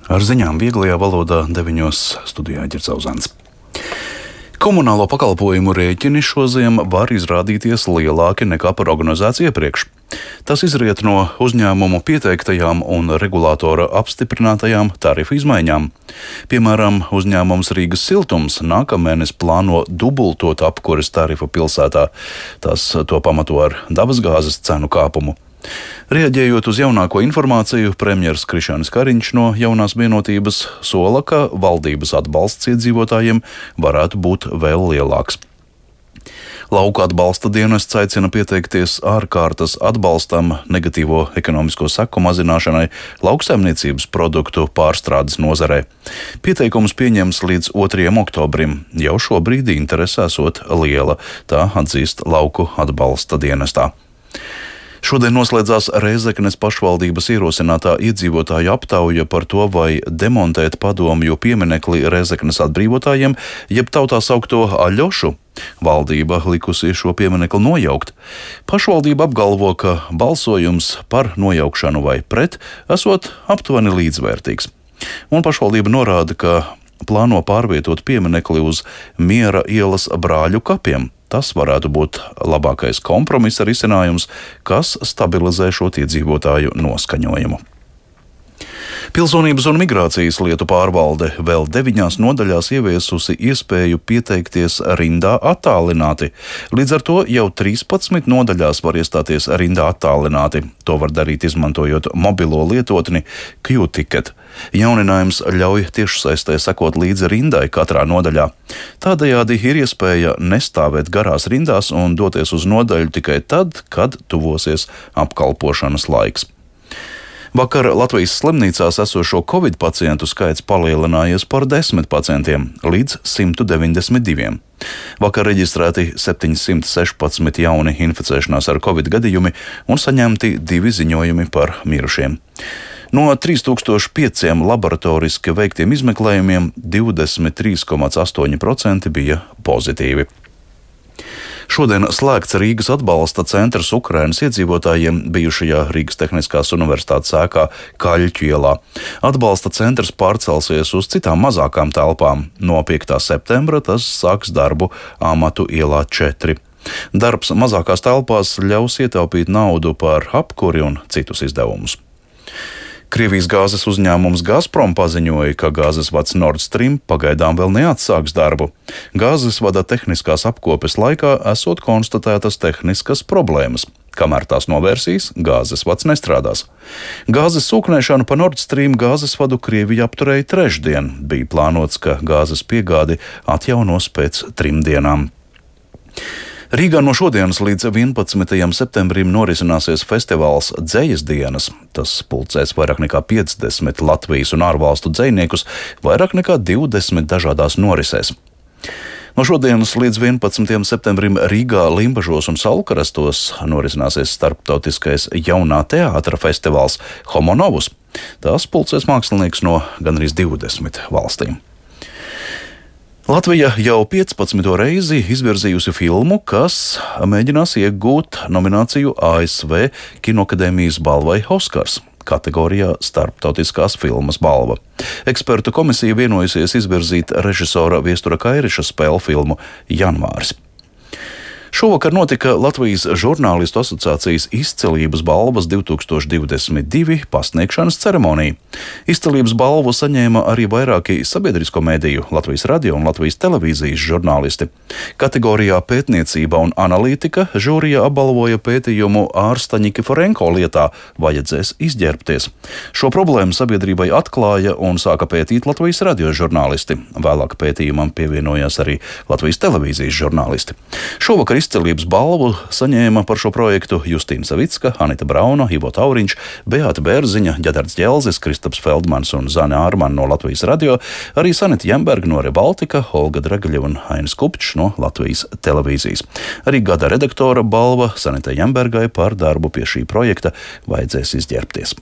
Ar ziņām vieglajā valodā 9. studijā Ģercauzāns. Komunālo pakalpojumu rēķini šoziem var izrādīties lielāki nekā prognozēts iepriekš. Tas izriet no uzņēmumu pieteiktajām un regulātora apstiprinātajām tarifu izmaiņām. Piemēram, uzņēmums Rīgas Siltums nākamēnes plāno dubultot apkures tarifu pilsētā. Tas to pamato ar dabasgāzes cenu kāpumu. Reaģējot uz jaunāko informāciju, premjers Krišjānis Kariņš no Jaunās Vienotības sola, ka valdības atbalsts iedzīvotājiem varētu būt vēl lielāks. Lauku atbalsta dienests aicina pieteikties ārkārtas atbalstam negatīvo ekonomisko seku mazināšanai lauksaimniecības produktu pārstrādes nozarē. Pieteikums pieņems līdz 2. oktobrim. Jau šobrīd interese esot liela, tā atzīst Lauku atbalsta dienestā. Šodien noslēdzās Rēzeknes pašvaldības ierosinātā iedzīvotāju aptauja par to, vai demontēt padomju pieminekli Rēzeknes atbrīvotājiem, jeb tautā saukto Aļošu. Valdība likusi šo pieminekli nojaukt. Pašvaldība apgalvo, ka balsojums par nojaukšanu vai pret esot aptuveni līdzvērtīgs. Un pašvaldība norāda, ka plāno pārvietot pieminekli uz Miera ielas brāļu kapiem. Tas varētu būt labākais kompromisa risinājums, kas stabilizē šo iedzīvotāju noskaņojumu. Pilsonības un migrācijas lietu pārvalde vēl 9 nodaļās ieviesusi iespēju pieteikties rindā attālināti. Līdz ar to jau 13 nodaļās var iestāties rindā attālināti. To var darīt izmantojot mobilo lietotni Q-Ticket. Jauninājums ļauj tiešsaistē sekot līdzi rindai katrā nodaļā. Tādējādi ir iespēja nestāvēt garās rindās un doties uz nodaļu tikai tad, kad tuvosies apkalpošanas laiks. Vakar Latvijas slimnīcās esošo Covid pacientu skaits palielinājies par 10 pacientiem līdz 192. Vakar reģistrēti 716 jauni inficēšanās ar Covid gadījumi un saņemti 2 ziņojumi par mirušiem. No 3005 laboratoriski veiktiem izmeklējumiem 23,8% bija pozitīvi. Šodien slēgts Rīgas atbalsta centrs Ukrainas iedzīvotājiem bijušajā Rīgas Tehniskās universitātes ēkā Kaļķu ielā. Atbalsta centrs pārcelsies uz citām mazākām telpām. No 5. septembra tas sāks darbu Amatu ielā 4. Darbs mazākās telpās ļaus ietaupīt naudu par apkuri un citus izdevumus. Krievijas gāzes uzņēmums Gazprom paziņoja, ka gāzes vads Nord Stream pagaidām vēl neatsāks darbu. Gāzes vada tehniskās apkopes laikā esot konstatētas tehniskas problēmas. Kamēr tās novērsīs, gāzes vads nestrādās. Gāzes sūknēšanu pa Nord Stream gāzes vadu Krievija apturēja trešdien. Bija plānots, ka gāzes piegādi atjaunos pēc 3 dienām. Rīgā no šodienas līdz 11. septembrim norisināsies festivāls Dzejas dienas. Tas pulcēs vairāk nekā 50 Latvijas un ārvalstu dzejniekus, vairāk nekā 20 dažādās norisēs. No šodienas līdz 11. septembrim Rīgā, Limbažos un Saulkarastos norisināsies starptautiskais jaunā teātra festivāls Homo Novus. Tās pulcēs mākslinieks no gandrīz 20 valstīm. Latvija jau 15. reizi izvirzījusi filmu, kas mēģinās iegūt nomināciju ASV Kinoakadēmijas balvai Oskars kategorijā Starptautiskās filmas balva. Ekspertu komisija vienojusies izvirzīt režisora Viestura Kairiša spēļu filmu Janvāris. Šovakar notika Latvijas žurnālistu asociācijas izcilības balvas 2022 pasniegšanas ceremonija. Izcilības balvu saņēma arī vairāki sabiedrisko mediju, Latvijas radio un Latvijas televīzijas žurnālisti. Kategorijā pētniecība un analītika žūrija apbalvoja pētījumu ārsta Nikiforenko lietā Vajadzēs izģērbties. Šo problēmu sabiedrībai atklāja un sāka pētīt Latvijas radio žurnālisti. Vēlāk pētījumam pievienojās arī Latvijas televīzijas žurnālisti. Šovakar izcilības balvu saņēma par šo projektu Justīna Savicka, Anita Brauna, Ivo Tauriņš, Beāta Bērziņa, Ģedards Ģelzis, Kristaps Feldmans un Zane Ārmane no Latvijas radio, arī Sanita Jemberga no Rebaltika, Olga Dragaļeva un Ainis Kupčs no Latvijas televīzijas. Arī gada redaktora balva Sanitai Jembergai par darbu pie šī projekta Vajadzēs izģērbties.